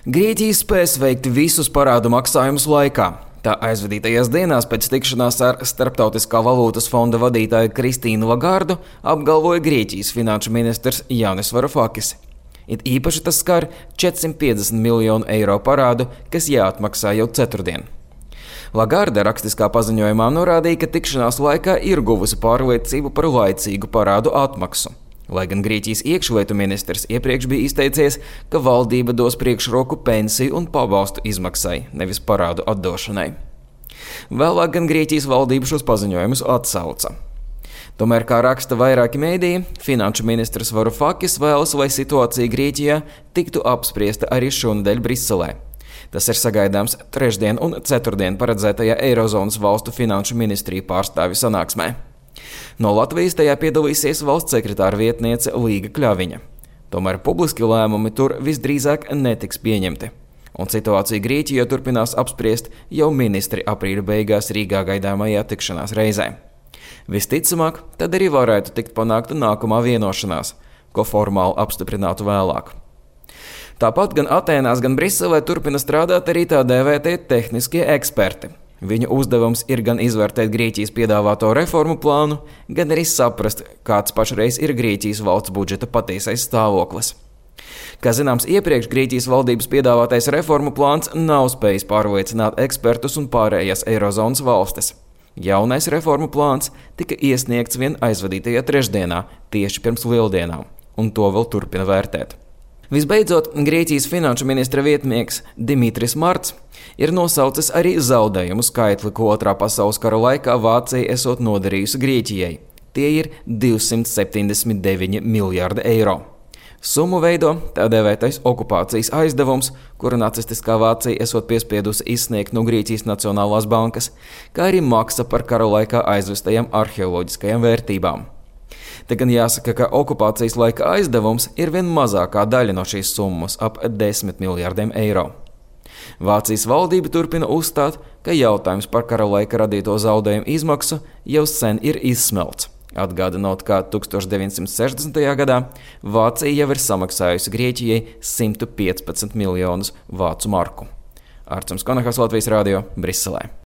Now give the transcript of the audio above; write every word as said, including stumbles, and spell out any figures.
Grieķija spēs veikt visus parādu maksājumus laikā. Tā aizvadītajās dienās pēc tikšanās ar Starptautiskā valūtas fonda vadītāju Kristīnu Lagardu apgalvoja Grieķijas finanšu ministrs Jānis Varufakis. It īpaši tas skar četrsimt piecdesmit miljonu eiro parādu, kas jāatmaksā jau ceturtdien. Lagarde rakstiskā paziņojumā norādīja, ka tikšanās laikā ir guvusi pārliecību par laicīgu parādu atmaksu. Lai gan Grieķijas iekšlietu ministrs iepriekš bija izteicies, ka valdība dos priekšroku pensiju un pabalstu izmaksai, nevis parādu atdošanai. Vēlāk gan Grieķijas valdība šos paziņojumus atsauca. Tomēr, kā raksta vairāki mēdīji, finanšu ministrs Varufakis vēlas, lai situācija Grieķijā tiktu apspriesta arī šonedēļ Briselē. Tas ir sagaidāms trešdien un ceturtdien paredzētajā Eirozonas valstu finanšu ministriju pārstāvju sanāksmē. No Latvijas tajā piedalīsies valsts sekretāra vietniece Līga Kļaviņa. Tomēr publiski lēmumi tur visdrīzāk netiks pieņemti. Un situāciju Grieķijā turpinās apspriest jau ministri aprīļa beigās Rīgā gaidāmajā tikšanās reizē. Visticamāk, tad arī varētu tikt panākta nākamā vienošanās, ko formāli apstiprinātu vēlāk. Tāpat gan Atēnās, gan Briselē turpina strādāt arī tā dēvētie tehniskie eksperti. Viņu uzdevums ir gan izvērtēt Grieķijas piedāvāto reformu plānu, gan arī saprast, kāds pašreiz ir Grieķijas valsts budžeta patiesais stāvoklis. Kā zināms, iepriekš Grieķijas valdības piedāvātais reformu plāns nav spējis pārliecināt ekspertus un pārējās Eirozonas valstis. Jaunais reformu plāns tika iesniegts vien aizvadītajā trešdienā, tieši pirms lieldienām, un to vēl turpina vērtēt. Visbeidzot, Grieķijas finanšu ministra vietnieks Dimitris Marts ir nosaucis arī zaudējumu skaitli, ko otrā pasaules kara laikā Vācija esot nodarījusi Grieķijai. Tie ir divsimt septiņdesmit deviņi miljārdi eiro. Summu veido tā dēvētais okupācijas aizdevums, kuru nacistiskā Vācija esot piespiedusi izsniegt no Grieķijas Nacionālās bankas, kā arī maksa par kara laikā aizvestajām arheoloģiskajām vērtībām. Te gan jāsaka, ka okupācijas laika aizdevums ir vien mazākā daļa no šīs summas, ap desmit miljārdiem eiro. Vācijas valdība turpina uzstāt, ka jautājums par kara laika radīto zaudējumu izmaksu jau sen ir izsmelts. Atgādinot, ka tūkstoš deviņsimt sešdesmitajā gadā Vācija jau ir samaksājusi Grieķijai simt piecpadsmit miljonus vācu marku. Arturs Konahas, Latvijas radio, Briselē.